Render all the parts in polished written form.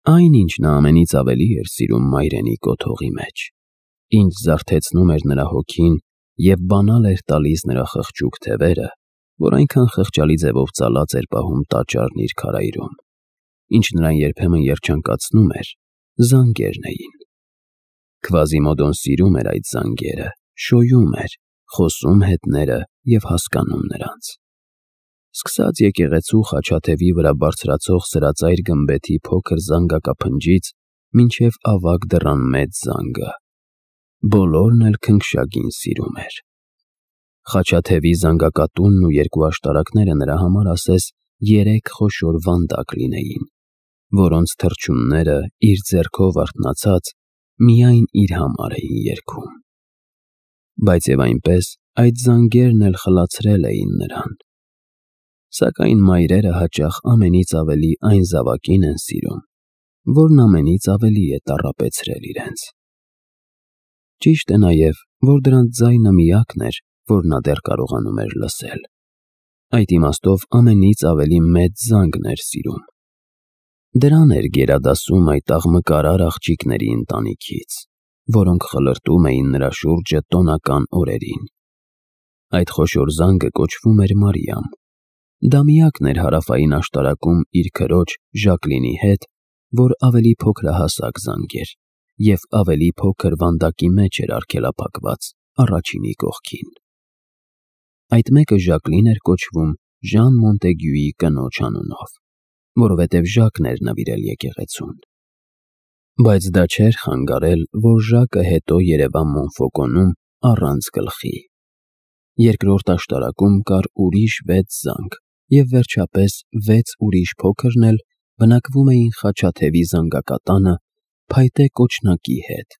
Այն, ինչ նա ամենից ավելի էր սիրում մայրենի կոթողի մեջ, ինչ զարթեցնում էր նրա հոգին և բանալ էր տալիս նրա խղճուկ թևերը, որ այնքան խղճալի ձևով ծալած էր պահում տաճարն իր քարայրում, ինչ նրան երբեմն երջանկացնում էր, զանգերն էին։ Քվազիմոդոն սիրում էր այդ զանգերը, շոյում էր, խոսում հետները և հասկանում նրանց։ Սկսած եկեղեցու խաչաթևի վրա բարձրացող սրածայր գմբեթի փոքր զանգակափնջից մինչև ավագ դռան մեծ զանգը, բոլորն էլ քնքշագին սիրում էր։ Խաչաթևի զանգակատունն ու երկու աշտարակները նրա համար ասես 3 խոշոր վանդակ լինեին, որոնց թռչունները իր ձեռքով արթնացած միայն իր համար էին երգում։ Բայց և այնպես այդ զանգերն էլ խլացրել էին նրան։ Սակայն մայրերը հաճախ ամենից ավելի այն զավակին են սիրում, որն ամենից ավելի է տառապեցրել իրենց։ Ճիշտ է նաև, որ դրանց ձայնը միակն էր, որ նա դեռ կարողանում էր լսել։ Այդ իմաստով ամենից ավելի մեծ զանգն էր սիրում։ Դրան էր գերադասում այդ աղմկարար աղջիկների ընտանիքից, որոնք խլրտում էին նրա շուրջը տոնական օրերին։ Այդ խոշոր զանգը կոչվում էր Մարիամ։ Դա միակն էր հարավային աշտարակում իր քրոջ Ժակլինի հետ, որ ավելի փոքրահասակ զանգ էր և ավելի փոքր վանդակի մեջ էր արգելափակված առաջինի կողքին։ Այդ մեկը Ժակլին էր կոչվում Ժան Մոնտեգյուի կնոջ անունով, որովհետև Ժակն էր նվիրել եկեղեցուն։ Բայց դա չէր խանգարել, որ Ժակը հետո երևա Մոնֆոկոնում առանց գլխի։ Երկրորդ աշտարակում կար ուրիշ 6 զանգ, և վերջապես 6 ուրիշ փոքրն էլ բնակվում էին խաչաթևի զանգակատանը փայտե կոչնակի հետ,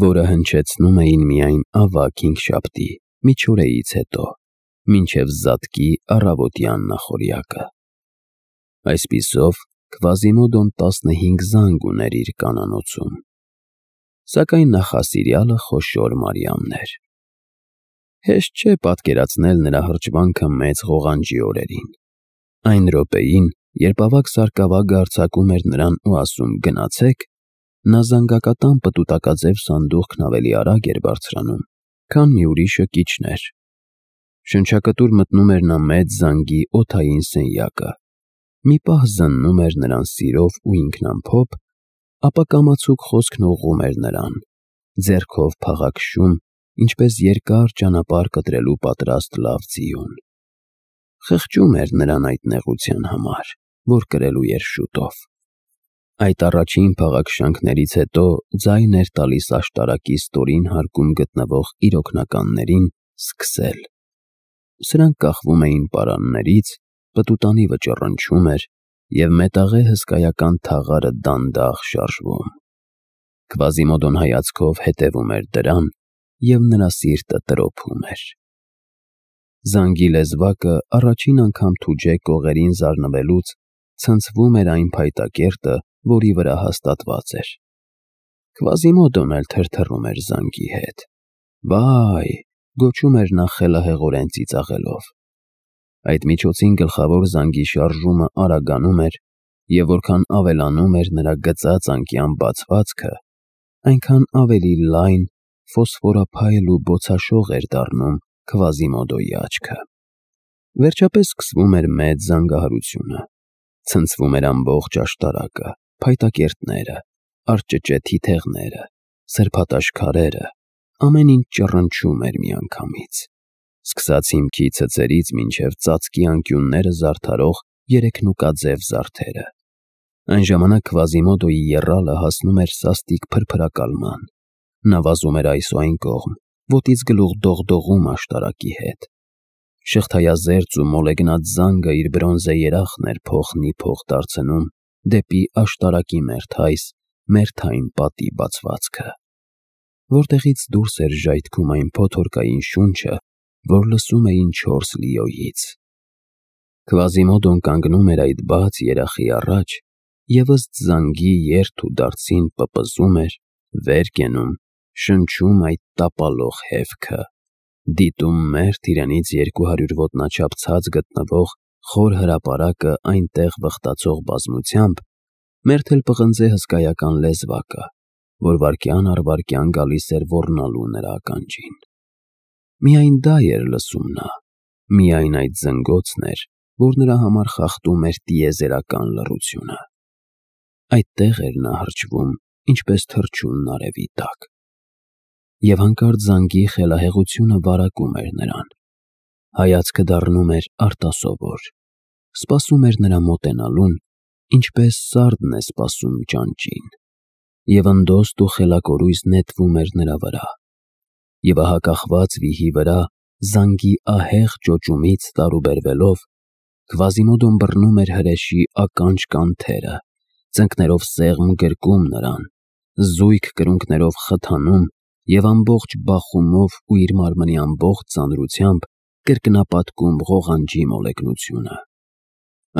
որը հնչեցնում էին միայն ավագ հինգշաբթի միջօրեից հետո, մինչև զատկի առավոտյան նախօրյակը։ Այսպիսով Քվազիմոդոն 15 զանգ ուներ իր կանանոցում, սակայն նախասիրյալը խոշոր Մարիամն էր։ Հեշտ չէ պատկերացնել նրա հրճվանքը մեծ ղողանջի օրերին։ Այն րոպեին, երբ ավագ սարկավագը արձակում էր նրան ու ասում «գնացեք», նա զանգակատան պտուտակաձև սանդուղքն ավելի արագ էր բարձրանում, քան մի ուրիշը կիջներ։ Շնչակտուր մտնում էր նա մեծ զանգի օդային սենյակը, մի պահ զննում էր նրան սիրով ու ինքնամփոփ, ապա կամացուկ խոսքն ուղղում էր նրան, ձեռքով փաղաքշում, ինչպես երկար ճանապարհ կտրելու պատրաստ լավ ձիուն։ Խղճում էր նրան այդ նեղության համար, որ կրելու էր շուտով։ Այդ առաջին փաղաքշանքներից հետո ձայն էր տալիս աշտարակի ստորին հարկում գտնվող իր օգնականներին սկսել։ Սրանք կախվում էին պարաններից, պտուտանիվը ճռնչում էր, և մետաղե հսկայական թաղարը դանդաղ շարժվում։ Քվազիմոդոն հայացքով հետևում էր դրան, և նրա սիրտը տրոփում էր։ Զանգի լեզվակը առաջին անգամ թուջե կողերին զարնվելուց ցնցվում էր այն փայտակերտը, որի վրա հաստատված էր։ Քվազիմոդոն էլ թրթռում էր զանգի հետ։ «Վայ», գոչում էր նա խելահեղորեն ծիծաղելով։ Այդ միջոցին գլխավոր զանգի շարժումը արագանում էր, և որքան ավելանում էր նրա գծած անկյան բացվածքը, այնքան ավելի լայն, ֆոսֆորափայլ ու բոցաշող էր դառնում Քվազիմոդոյի աչքը։ Վերջապես սկսվում էր մեծ զանգահարությունը։ Ցնցվում էր ամբողջ աշտարակը, փայտակերտները, արճճե թիթեղները, սրբատաշ քարերը, ամեն ինչ ճռնչում էր միանգամից, սկսած հիմքի ցցերից մինչև ծածկի անկյունները զարդարող երեքնուկաձև զարդերը։ Այն ժամանակ Քվազիմոդոյի եռալը հասնում էր սաստիկ փրփրակալման։ Նա վազում էր այս ու այն կողմ, ոտից գլուխ դողդողում աշտարակի հետ։ Շղթայազերծ ու մոլեգնած զանգը իր բրոնզե երախն էր փոխ դարձնում դեպի աշտարակի մերթային պատի բացվածքը, որտեղից դուրս էր ժայթքում այն փոթորկային շունչը, որ լսում էին 4 լիոյից։ Քվազիմոդոն կանգնում էր այդ բաց երախի առաջ և ըստ զանգի երթ ու դարձին պպզում էր, վեր կենում, շնչում այդ տապալող հևքը, դիտում մերթ իրենից 200 ոտնաչափ ցած գտնվող խոր հրապարակը այնտեղ վխտացող բազմությամբ, Մերթել պղնձե հսկայական լեզվակը, որ վայրկյան առ վայրկյան գալիս էր ոռնալու նրա ականջին։ Միայն դա էր լսում նա, միայն այդ զնգոցն էր, որ նրա համար խախտում էր տիեզերական լռությունը։ Այդտեղ էր նա հրճվում, ինչպես թռչունն արևի տակ։ Եվ հանկարծ զանգի խելահեղությունը վարակում էր նրան։ Հայացքը դառնում էր արտասովոր, սպասում էր նրա մոտենալուն, ինչպես սարդն է սպասում ճանճին, և ընդոստ ու խելակորույս նետվում էր նրա վրա։ Եվ ահա կախված վիհի վրա, զանգի ահեղ ճոճումից տարուբերվելով, Քվազիմոդոն բռնում էր հրեշի ականջ կանթերը, ծնկներով սեղմ գրկում նրան, զույգ կրունկներով խթանում և ամբողջ բախումով ու իր մարմնի ամբողջ ծանրությամբ կրկնապատկում ղողանջի մոլեգնությունը։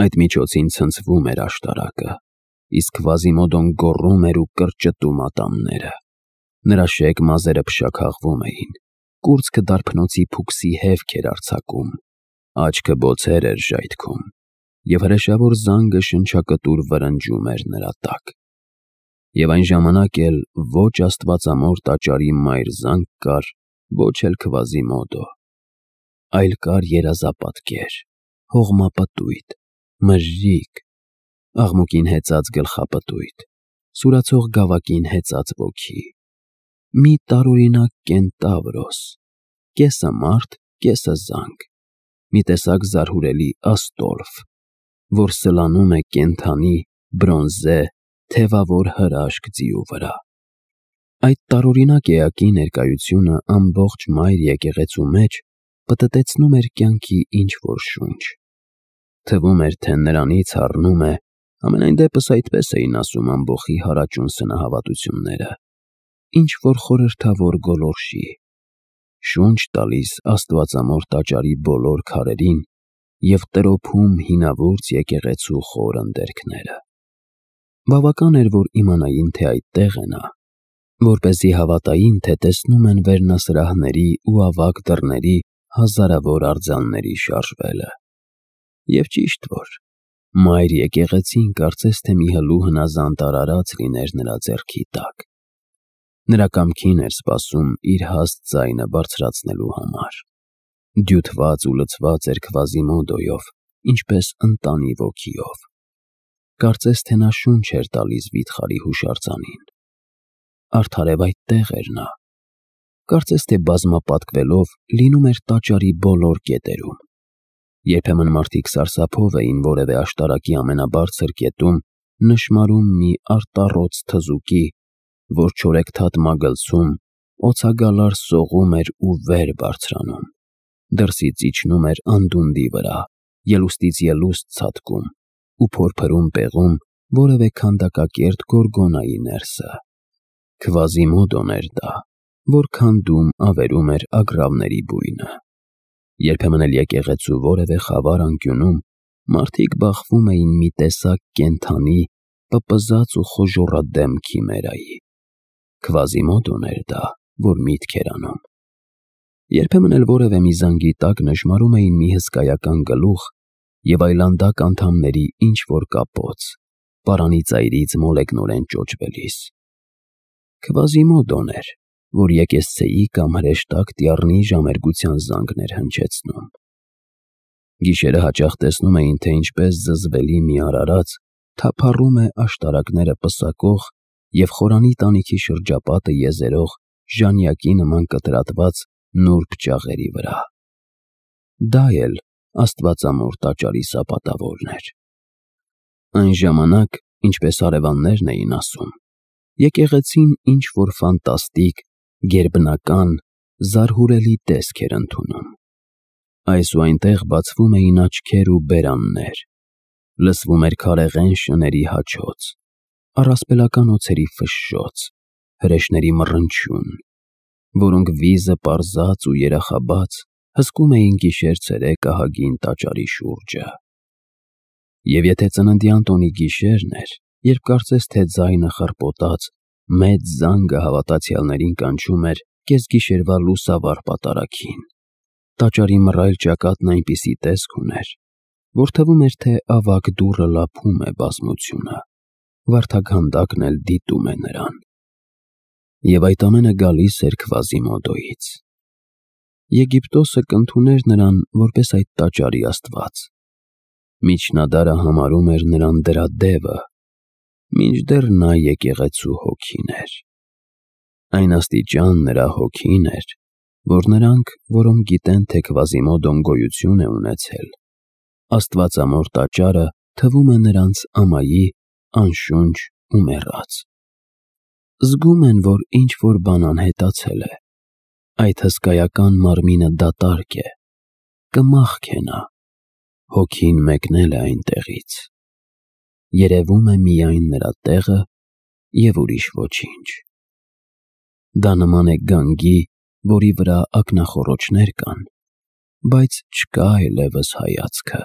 Այդ միջոցին ցնցվում էր աշտարակը, իսկ Քվազիմոդոն գոռում էր ու կրճտում ատամները։ Նրա շեկ մազերը փշաքաղվում էին, կուրծքը դարբնոցի փուքսի հևք էր արձակում, աչքը բոցեր էր ժայթքում, և հրեշավոր զանգը շնչակտուր վրնջում էր նրա տակ։ Եվ այն ժամանակ էլ ոչ աստվածամոր տաճարի մայր զանգ կար, ոչ էլ Քվազիմոդո, այլ կար երազապատկեր, հողմապտույտ, մրրիկ, աղմուկին հեծած գլխապտույտ, սուրացող գավակին հեծած ոգի, մի տարօրինակ կենտավրոս, կեսը մարդ, կեսը զանգ, մի տեսակ զարհուրելի աստոլֆ, որ սլանում է կենդանի, բրոնզե, թևավոր հրաշք ձիու վրա։ Այդ տարօրինակ էակի ներկայությունը ամբողջ մայր եկեղեցու մեջ պտտեցնում էր կյանքի ինչ-որ շունչ։ Թվում էր, թե նրանից հառնում է, համենայն դեպս այդպես էին ասում ամբոխի հարաճուն սնահավատությունները, ինչ-որ խորհրդավոր գոլորշի, շունչ տալիս աստվածամոր տաճարի բոլոր քարերին և տրոփում հինավուրց եկեղեցու խոր ընդերքները։ Բավական էր, որ իմանային, թե այդտեղ է նա, որպեսզի հավատային, թե տեսնում են վերնասրահների ու ավագ դռների հազարավոր արձանների շարժվելը։ Եվ ճիշտ որ, մայր եկեղեցին կարծես թե մի հլու հնազանդ արարած լիներ նրա ձեռքի տակ։ Նրա կամքին էր սպասում իր հաստ ձայնը բարձրացնելու համար։ Դյութված ու լցված էր Քվազիմոդոյով, ինչպես ընտանի ոգիով։ Կարծես թե նա շունչ էր տալիս վիթխարի հուշարձանին։ Արդարև այդտեղ էր նա։ Կարծես թե բազմապատկվելով լինում էր տաճարի բոլոր կետերում։ Երբեմն մարդիկ սարսափով էին որևէ աշտարակի ամենաբարձր կետում նշմարում մի արտառոց թզուկի, որ չորեքթաթ մագլցում, օձագալար սողում էր ու վեր բարձրանում, դրսից իջնում էր անդունդի վրա, ելուստից ելուստ ցատկում ու փորփրում պեղում որևէ քանդակակերտ գորգոնայի ներսը։ Քվազիմոդոն էր դա, որ քանդում ավերում էր ագռավների բույնը։ Երբեմն էլ եկեղեցու որևէ խավար անկյունում մարդիկ բախվում էին մի տեսակ կենդանի, պպզած ու խոժոռադեմ քիմերայի։ Քվազիմոդոն էր դա, որ միտք էր անում։ Երբեմն էլ որևէ մի զանգի տակ նժմարում էին մի հսկայական գլուխ և այլանդակ անդամների ինչ-որ կապոց, պարանի ծայրից մոլեգնորեն ճոճվելիս։ Քվազիմոդոն էր, որ եկեսցեի կամ հրեշտակ տյառնի ժամերգության զանգներ հնչեցնում։ Գիշերը հաճախ տեսնում էին, թե ինչպես զզվելի մի արարած թափառում է աշտարակները պսակող և խորանի տանիքի շրջապատը եզերող ժանյակի նման կտրատված նուրբ ճաղերի վրա։ Դա էլ աստվածամոր տաճարի սապատավորն էր։ Այն ժամանակ, ինչպես հարևաններն էին ասում, եկեղեցին ինչ-որ ֆանտաստիկ, գերբնական, զարհուրելի տեսք էր ընդունում։ Այս ու այնտեղ բացվում էին աչքեր ու բերաններ, լսվում էր քարեղեն շների հաչոց, առասպելական օձերի ֆշշոց, հրեշների մռնչյուն, որոնք վիզը պարզած ու երախաբաց հսկում էին գիշեր-ցերեկ ահագին տաճարի շուրջը։ Եվ եթե ծննդյան տոնի գիշերն էր, երբ կարծես թե ձայնը խռպոտած, մեծ զանգը հավատացյալներին կանչում էր կեսգիշերվա լուսավառ պատարագին, տաճարի մռայլ ճակատն այնպիսի տեսք ուներ, որ թվում էր, թե ավագ դուռը լափում է բազմությունը, վարդաքանդակն էլ դիտում է նրան։ Եվ այդ ամենը գալիս էր Քվազիմոդոյից։ Եգիպտոսը կընդուներ նրան որպես այդ տաճարի աստված։ Միջնադարը համարում էր նրան դրա դևը, մինչդեռ նա եկեղեցու հոգին էր։ Այն աստիճան նրա հոգին էր, որ նրանք, որոնք գիտեն, թե Քվազիմոդոն գոյություն է ունեցել, աստվածամոր տաճարը թվում է նրանց ամայի, անշունչ ու մեռած։ Զգում են, որ ինչ-որ բան անհետացել է։ Այդ հսկայական մարմինը դատարկ է, կմաղք է նա, հոգին մեկնել է այնտեղից։ Երևում է միայն նրա տեղը և ուրիշ ոչինչ։ Դա նման է գանգի, որի վրա ակնախոռոչներ կան, բայց չկա այլևս հայացքը։